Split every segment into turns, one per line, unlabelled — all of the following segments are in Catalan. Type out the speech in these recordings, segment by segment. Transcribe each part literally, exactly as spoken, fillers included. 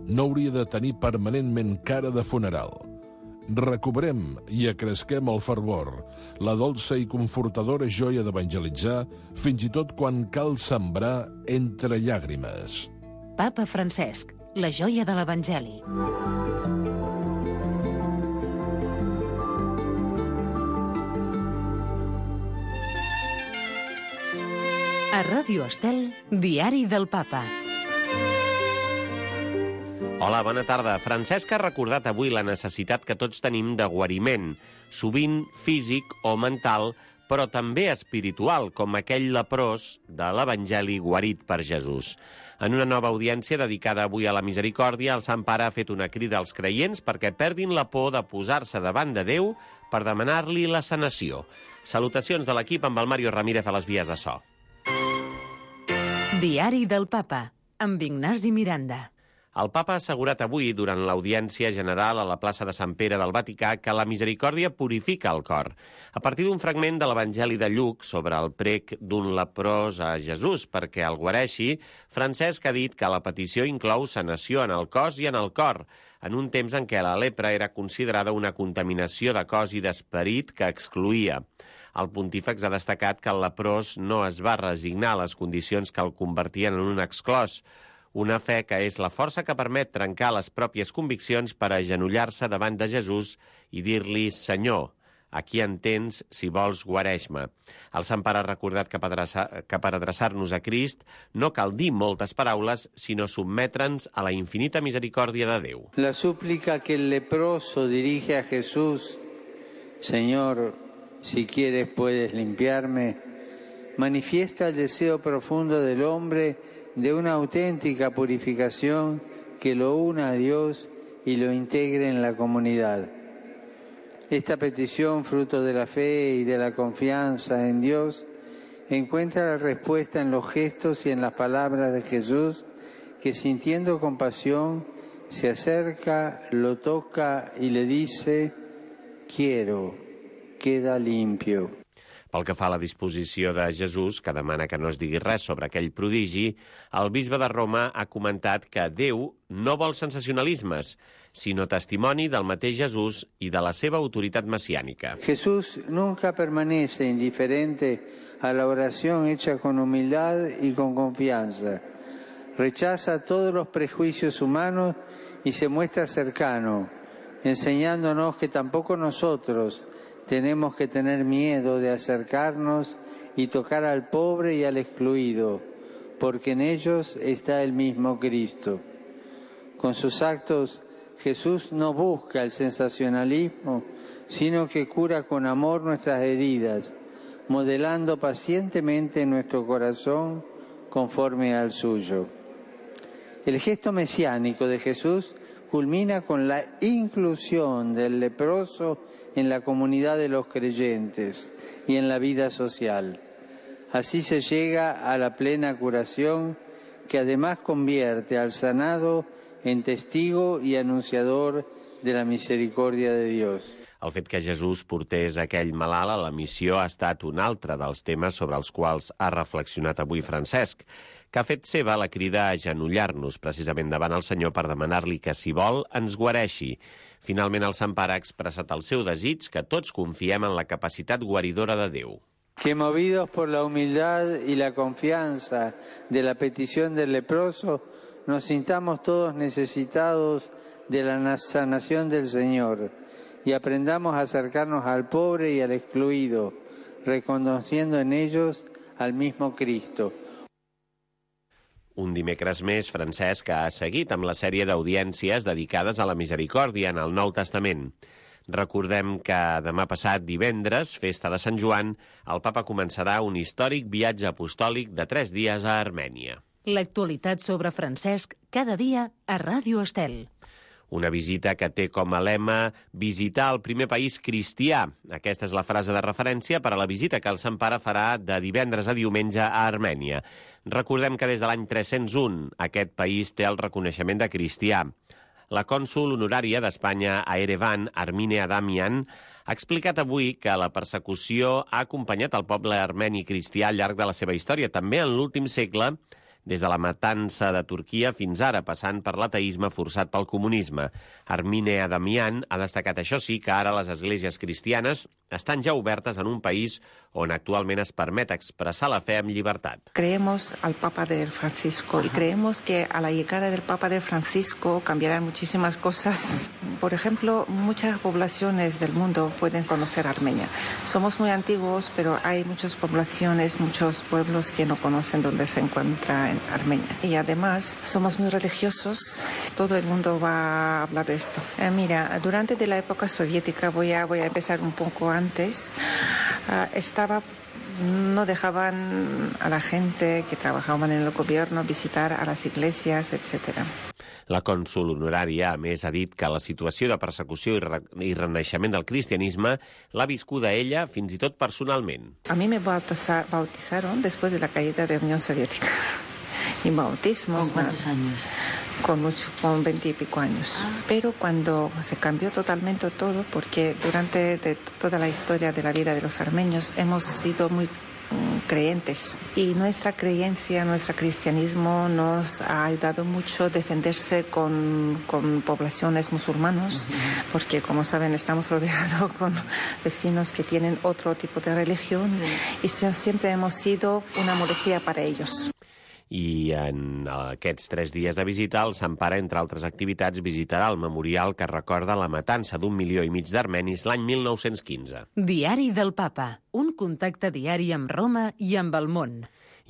no hauria de tenir permanentment cara de funeral. Recuperem i acresquem el fervor, la dolça i confortadora joia d'evangelitzar, fins i tot quan cal sembrar entre llàgrimes.
Papa Francesc, la joia de l'Evangeli. A Ràdio Estel, Diari del Papa.
Hola, bona tarda. Francesc ha recordat avui la necessitat que tots tenim de guariment, sovint físic o mental, però també espiritual, com aquell leprós de l'Evangeli guarit per Jesús. En una nova audiència dedicada avui a la misericòrdia, el Sant Pare ha fet una crida als creients perquè perdin la por de posar-se davant de Déu per demanar-li la sanació. Salutacions de l'equip amb el Mario Ramírez a les vies de so.
Diari del Papa, amb Ignasi Miranda.
El Papa ha assegurat avui, durant l'audiència general a la plaça de Sant Pere del Vaticà, que la misericòrdia purifica el cor. A partir d'un fragment de l'Evangeli de Lluc sobre el prec d'un leprós a Jesús perquè el guareixi, Francesc ha dit que la petició inclou sanació en el cos i en el cor, en un temps en què la lepra era considerada una contaminació de cos i d'esperit que excloïa. El pontífex ha destacat que el leprós no es va resignar a les condicions que el convertien en un exclòs, una fe que és la força que permet trencar les pròpies conviccions per agenollar-se davant de Jesús i dir-li: Senyor, aquí en tens, si vols, guareix-me. El Sant Pare ha recordat que per adreçar, que per adreçar-nos a Crist no cal dir moltes paraules, sinó sotmetre'ns a la infinita misericòrdia de Déu.
La súplica que el leproso dirige a Jesús, Señor, si quieres puedes limpiarme, manifiesta el deseo profundo del hombre de una auténtica purificación que lo una a Dios y lo integre en la comunidad. Esta petición, fruto de la fe y de la confianza en Dios, encuentra la respuesta en los gestos y en las palabras de Jesús, que sintiendo compasión se acerca, lo toca y le dice: quiero, queda limpio.
Pel que fa a la disposició de Jesús, que demana que no es digui res sobre aquell prodigi, el bisbe de Roma ha comentat que Déu no vol sensacionalismes, sinó testimoni del mateix Jesús i de la seva autoritat messiànica.
Jesús nunca permanece indiferente a la oración hecha con humildad y con confianza. Rechaza todos los prejuicios humanos y se muestra cercano, enseñándonos que tampoco nosotros tenemos que tener miedo de acercarnos y tocar al pobre y al excluido, porque en ellos está el mismo Cristo. Con sus actos, Jesús no busca el sensacionalismo, sino que cura con amor nuestras heridas, modelando pacientemente nuestro corazón conforme al suyo. El gesto mesiánico de Jesús culmina con la inclusión del leproso en la comunidad de los creyentes y en la vida social. Así se llega a la plena curación, que además convierte al sanado en testigo y anunciador de la misericordia de Dios.
El fet que Jesús portés aquell malalt a la missió ha estat un altre dels temes sobre els quals ha reflexionat avui Francesc, que ha fet seva la crida a agenollar-nos precisament davant el Senyor per demanar-li que, si vol, ens guareixi. Finalment, el Sant Pare ha expressat el seu desig que tots confiem en la capacitat guaridora de Déu.
Que movidos por la humildad y la confianza de la petición del leproso, nos sintamos todos necesitados de la sanación del Señor y aprendamos a acercarnos al pobre y al excluido, reconociendo en ellos al mismo Cristo.
Un dimecres més, Francesc ha seguit amb la sèrie d'audiències dedicades a la misericòrdia en el Nou Testament. Recordem que demà passat, divendres, festa de Sant Joan, el Papa començarà un històric viatge apostòlic de tres dies a Armènia.
L'actualitat sobre Francesc, cada dia a Ràdio Estel.
Una visita que té com a lema visitar el primer país cristià. Aquesta és la frase de referència per a la visita que el Sant Pare farà de divendres a diumenge a Armènia. Recordem que des de l'any tres-cents un aquest país té el reconeixement de cristià. La cònsol honorària d'Espanya a Erevan, Armine Adamian, ha explicat avui que la persecució ha acompanyat el poble armeni cristià al llarg de la seva història, també en l'últim segle, des de la matança de Turquia fins ara, passant per l'ateisme forçat pel comunisme. Armine Adamian ha destacat, això sí, que ara les esglésies cristianes estan ja obertes en un país on actualment es permet expressar la fe amb llibertat.
Creemos al Papa de Francisco y creemos que a la llegada del Papa de Francisco cambiarán muchísimas cosas. Por ejemplo, muchas poblaciones del mundo pueden conocer Armenia. Somos muy antiguos, pero hay muchas poblaciones, muchos pueblos que no conocen dónde se encuentra en Armenia. Y además, somos muy religiosos. Todo el mundo va a hablar de esto. Eh, mira, durante de la época soviética, voy a, voy a empezar un poco antes, uh, estaba... no dejaban a la gente que trabajaban en el gobierno visitar a las iglesias, etcétera.
La cònsol honorària, a més, ha dit que la situació de persecució i, re i renaixement del cristianisme l'ha viscuda ella fins i tot personalment.
A mi me bautiza bautizaron después de la caída de la Unión Soviética. Y bautismos...
¿Con cuántos años?
Con, mucho, con veinte y pico años. Ah. Pero cuando se cambió totalmente todo, porque durante de toda la historia de la vida de los armenios hemos sido muy um, creyentes. Y nuestra creencia, nuestro cristianismo nos ha ayudado mucho a defenderse con, con poblaciones musulmanas, uh-huh. porque como saben estamos rodeados con vecinos que tienen otro tipo de religión, sí. y siempre hemos sido una molestia para ellos.
I en aquests tres dies de visita, el Sant Pare, entre altres activitats, visitarà el memorial que recorda la matança d'un milió i mig d'armenis l'any mil nou-cents quinze.
Diari del Papa, un contacte diari amb Roma i amb el món.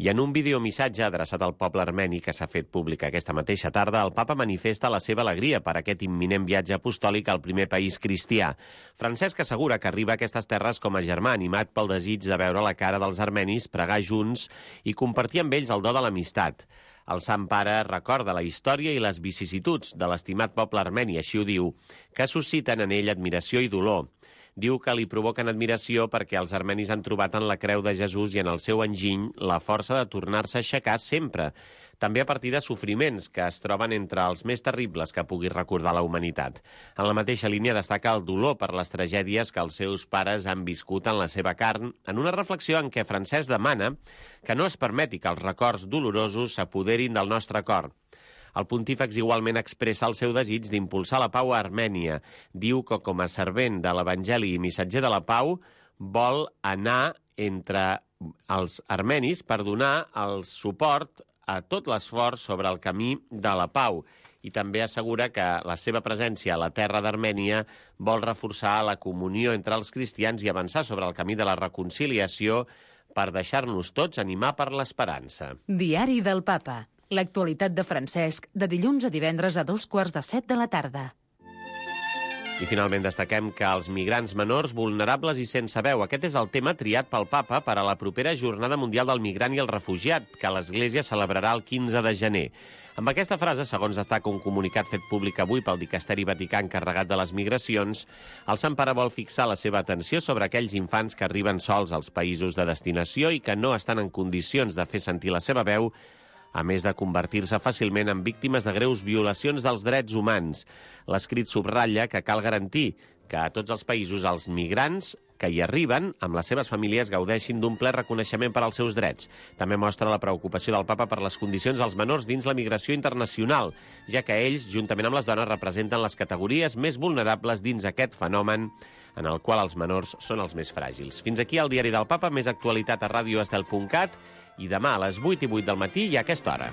I en un videomissatge adreçat al poble armeni que s'ha fet públic aquesta mateixa tarda, el papa manifesta la seva alegria per aquest imminent viatge apostòlic al primer país cristià. Francesc assegura que arriba a aquestes terres com a germà animat pel desig de veure la cara dels armenis, pregar junts i compartir amb ells el do de l'amistat. El Sant Pare recorda la història i les vicissituds de l'estimat poble armeni, així ho diu, que susciten en ell admiració i dolor. Diu que li provoquen admiració perquè els armenis han trobat en la creu de Jesús i en el seu enginy la força de tornar-se a aixecar sempre, també a partir de sofriments que es troben entre els més terribles que pugui recordar la humanitat. En la mateixa línia destaca el dolor per les tragèdies que els seus pares han viscut en la seva carn, en una reflexió en què Francesc demana que no es permeti que els records dolorosos s'apoderin del nostre cor. El pontífex igualment expressa el seu desig d'impulsar la pau a Armènia. Diu que com a servent de l'Evangeli i missatger de la pau vol anar entre els armenis per donar el suport a tot l'esforç sobre el camí de la pau. I també assegura que la seva presència a la terra d'Armènia vol reforçar la comunió entre els cristians i avançar sobre el camí de la reconciliació per deixar-nos tots animar per l'esperança.
Diari del Papa. L'actualitat de Francesc, de dilluns a divendres a dos quarts de set de la tarda.
I finalment destaquem que els migrants menors vulnerables i sense veu. Aquest és el tema triat pel Papa per a la propera Jornada Mundial del Migrant i el Refugiat, que l'Església celebrarà el quinze de gener. Amb aquesta frase, segons destaca un comunicat fet públic avui pel Dicasteri Vaticà encarregat de les migracions, el Sant Pare vol fixar la seva atenció sobre aquells infants que arriben sols als països de destinació i que no estan en condicions de fer sentir la seva veu, a més de convertir-se fàcilment en víctimes de greus violacions dels drets humans. L'escrit subratlla que cal garantir que a tots els països els migrants que hi arriben, amb les seves famílies, gaudeixin d'un ple reconeixement per als seus drets. També mostra la preocupació del Papa per les condicions dels menors dins la migració internacional, ja que ells, juntament amb les dones, representen les categories més vulnerables dins aquest fenomen en el qual els menors són els més fràgils. Fins aquí el Diari del Papa, més actualitat a radio estel punt cat i demà a les vuit i vuit del matí i a aquesta hora.